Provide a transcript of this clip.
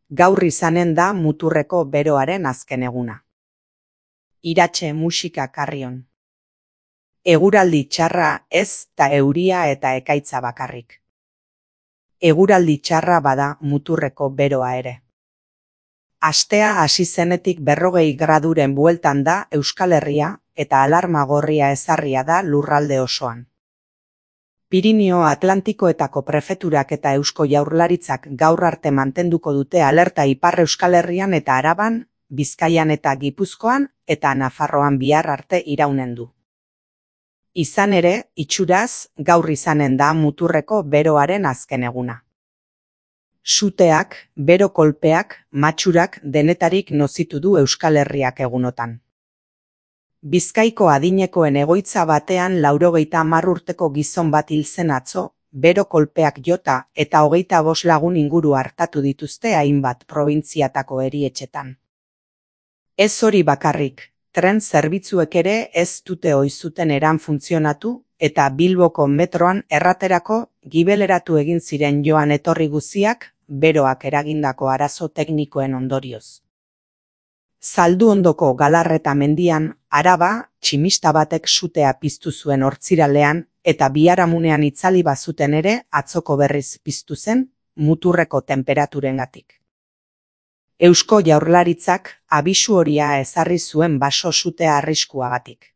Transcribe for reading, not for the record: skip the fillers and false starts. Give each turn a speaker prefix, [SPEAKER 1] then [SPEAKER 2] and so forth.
[SPEAKER 1] Gaur izanen da muturreko beroaren azken eguna. Iratxe musika karrion. Eguraldi txarra ez ta euria eta ekaitza bakarrik. Eguraldi txarra bada muturreko beroa ere. Astea hasi zenetik 40 graduren bueltan da Euskal Herria eta alarma gorria ezarria da lurralde osoan. Pirinio Atlantikoetako prefeturak eta Eusko Jaurlaritzak gaur arte mantenduko dute alerta Ipar Euskal Herrian eta Araban, Bizkaian eta Gipuzkoan eta Nafarroan bihar arte iraunen du. Izan ere, itxuraz, gaur izanen da muturreko beroaren azken eguna. Suteak, bero kolpeak, matxurak denetarik nozitu du Euskal Herriak egunotan. Bizkaiko adinekoen egoitza batean 90 urteko gizon bat hil zen atzo, bero kolpeak jota eta 25 lagun inguru hartatu dituzte hainbat probintziatako erietxetan. Ez hori bakarrik, tren zerbitzuek ere ez dute oizuten eran funtzionatu eta Bilboko metroan erraterako gibeleratu egin ziren joan etorri guziak beroak eragindako arazo teknikoen ondorioz. Zalduondoko Galarreta mendian, Araba, tximista batek sutea piztu zuen hortziralean eta biharamunean itzali bazuten ere atzoko berriz piztu zen muturreko tenperaturengatik. Eusko Jaurlaritzak abisu horia ezarri zuen baso sutea arriskuagatik.